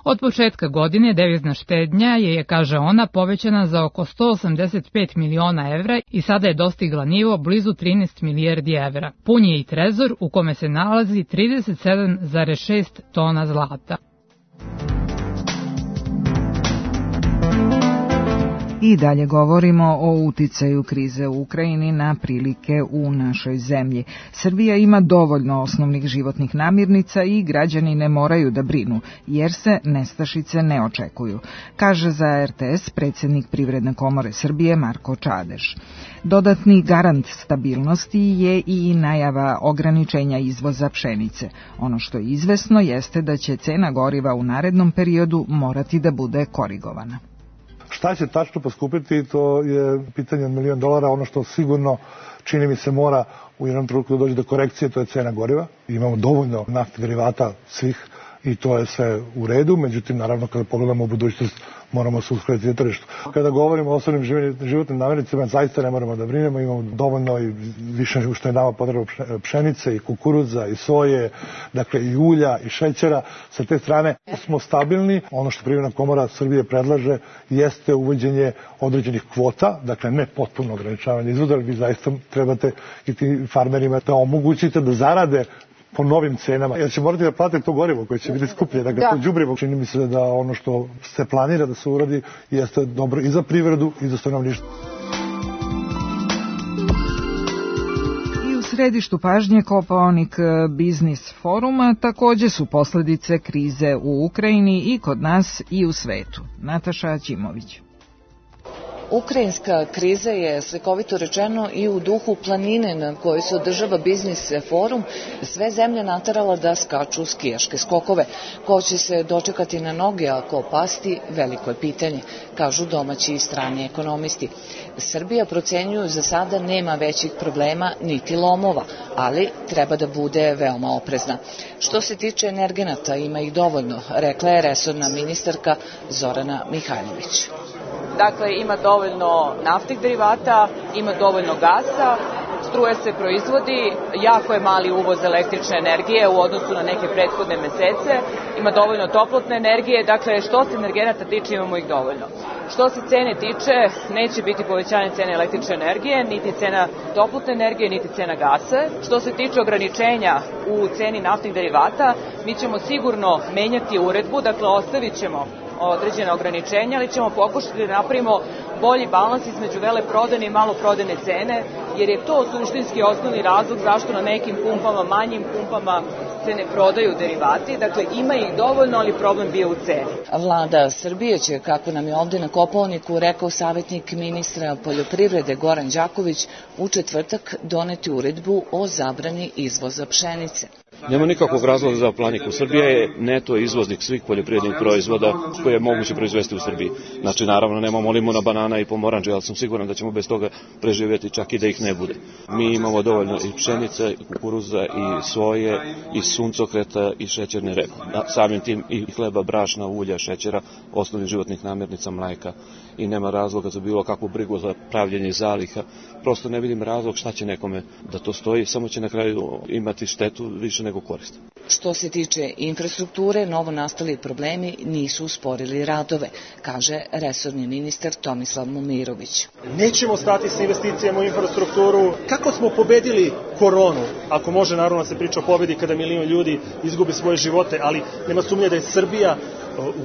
Od početka godine devizna štednja je, kaže ona, povećana za oko sto osamdeset pet miliona evra i sada je dostigla nivo blizu trinaest milijardi evra. Pun je i trezor u kome se nalazi trideset sedam zarez šest tona zlata. I dalje govorimo o uticaju krize u Ukrajini na prilike u našoj zemlji. Srbija ima dovoljno osnovnih životnih namirnica i građani ne moraju da brinu, jer se nestašice ne očekuju, kaže za er te es predsjednik Privredne komore Srbije Marko Čadeš. Dodatni garant stabilnosti je i najava ograničenja izvoza pšenice. Ono što je izvesno jeste da će cena goriva u narednom periodu morati da bude korigovana. Šta će tačno poskupiti, to je pitanje od milion dolara. Ono što sigurno čini mi se mora u jednom trenutku da dođe do korekcije, to je cena goriva. Imamo dovoljno naftnih derivata svih i to je sve u redu, međutim, naravno, kada pogledamo u budućnost, moramo se uskladiti na tržištu. Kada govorimo o osnovnim životnim namirnicama, zaista ne moramo da brinemo, imamo dovoljno i više nego što je nama potrebno pšenice i kukuruza i soje, dakle i ulja i šećera. Sa te strane smo stabilni. Ono što Privredna komora Srbije predlaže jeste uvođenje određenih kvota, dakle ne potpuno ograničavanje izvoza, ali vi zaista trebate i tim farmerima da omogućite da zarade po novim cenama, jer će morati da plate to gorivo koje će biti skuplje, dakle da. To đubrivo. Čini mi se da ono što se planira da se uradi jeste dobro i za privredu i za stanovništvo. I u središtu pažnje Kopaonik biznis foruma takođe su posledice krize u Ukrajini i kod nas i u svetu. Nataša Ćimović. Ukrajinska kriza je, slikovito rečeno, i u duhu planine na kojoj se održava biznis forum sve zemlje naterala da skaču skijaške skokove. Ko će se dočekati na noge, a ko pasti, veliko je pitanje, kažu domaći i strani ekonomisti. Srbija, procenjuju, za sada nema većih problema niti lomova, ali treba da bude veoma oprezna. Što se tiče energenata, ima ih dovoljno, rekla je resorna ministarka Zorana Mihajlović. Dakle, ima dovoljno naftnih derivata, ima dovoljno gasa, struja se proizvodi, jako je mali uvoz električne energije u odnosu na neke prethodne mesece, ima dovoljno toplotne energije, dakle što se energenata tiče imamo ih dovoljno. Što se cene tiče, neće biti povećanje cene električne energije, niti cena toplotne energije, niti cena gasa. Što se tiče ograničenja u ceni naftnih derivata, mi ćemo sigurno menjati uredbu, dakle ostavit ćemo određene ograničenja, ali ćemo pokušati da napravimo bolji balans između veleprodajne i maloprodajne cene, jer je to suštinski osnovni razlog zašto na nekim pumpama, manjim pumpama se ne prodaju derivati. Dakle, ima ih dovoljno, ali problem bio u ceni. Vlada Srbije će, kako nam je ovde na Kopaoniku rekao savjetnik ministra poljoprivrede Goran Đaković, u četvrtak doneti uredbu o zabrani izvoza pšenice. Nema nikakvog razloga za planiku. Srbija je neto izvoznik svih poljoprivrednih proizvoda koje je moguće proizvesti u Srbiji. Znači, naravno, nemamo limuna, banana i pomoranđe, ali sam siguran da ćemo bez toga preživjeti čak i da ih ne bude. Mi imamo dovoljno i pšenice, i kukuruza, i soje, i suncokreta, i šećerne repe. Samim tim i hleba, brašna, ulja, šećera, osnovnih životnih namirnica, mleka. I nema razloga za bilo kakvu brigu za pravljenje zaliha. Prosto ne vidim razlog šta će nekome da to stoji, samo će na kraju imati štetu više nego korist. Što se tiče infrastrukture, novo nastali problemi nisu usporili radove, kaže resorni ministar Tomislav Momirović. Nećemo stati sa investicijama u infrastrukturu. Kako smo pobedili koronu? Ako može, naravno se priča o pobedi kada milion ljudi izgubi svoje živote, ali nema sumnje da je Srbija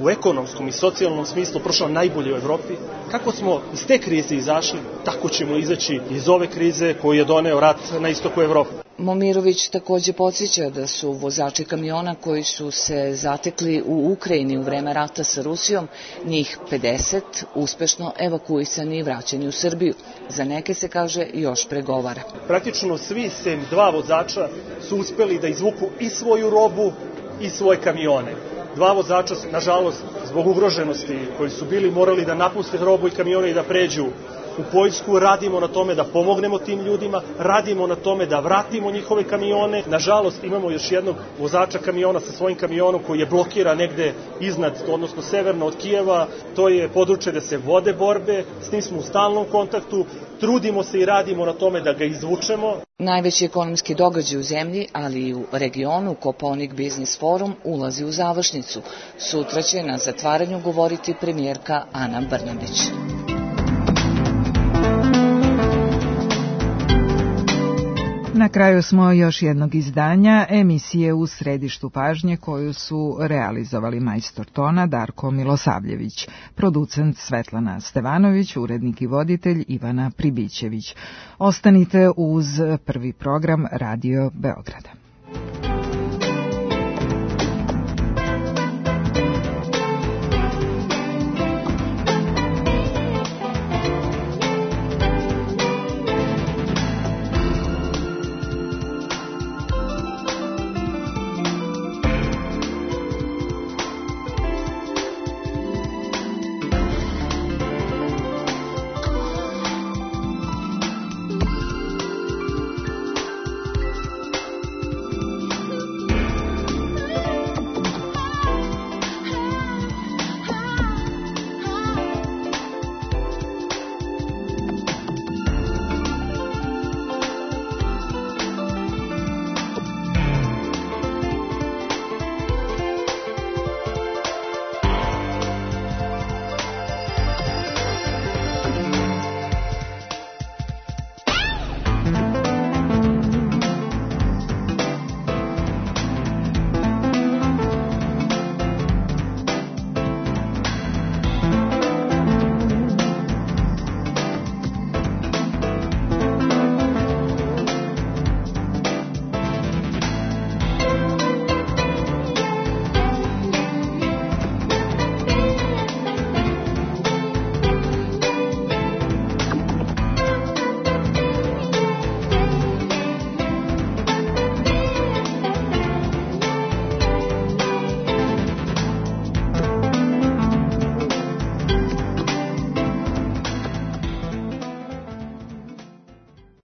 u ekonomskom i socijalnom smislu prošla najbolje u Evropi. Kako smo iz te krize izašli, tako ćemo izaći iz ove krize koju je doneo rat na istoku Evrope. Momirović takođe podsjeća da su vozači kamiona koji su se zatekli u Ukrajini u vreme rata sa Rusijom, njih pedeset, uspešno evakuisani i vraćeni u Srbiju. Za neke se, kaže, još pregovara. Praktično svi sem dva vozača su uspeli da izvuku i svoju robu i svoje kamione. Dva vozača su, nažalost, zbog ugroženosti koji su bili morali da napuste robu i kamione i da pređu u Poljsku. Radimo na tome da pomognemo tim ljudima, radimo na tome da vratimo njihove kamione. Nažalost, imamo još jednog vozača kamiona sa svojim kamionom koji je blokiran negde iznad, odnosno severno od Kijeva. To je područje da se vode borbe, s njim smo u stalnom kontaktu, trudimo se i radimo na tome da ga izvučemo. Najveći ekonomski događaj u zemlji, ali i u regionu, Kopaonik biznis forum ulazi u završnicu. Sutra će na zatvaranju govoriti premijerka Ana Brnabić. Na kraju smo još jednog izdanja emisije U središtu pažnje koju su realizovali majstor tona Darko Milosavljević, producent Svetlana Stevanović, urednik i voditelj Ivana Pribićević. Ostanite uz prvi program Radio Beograda.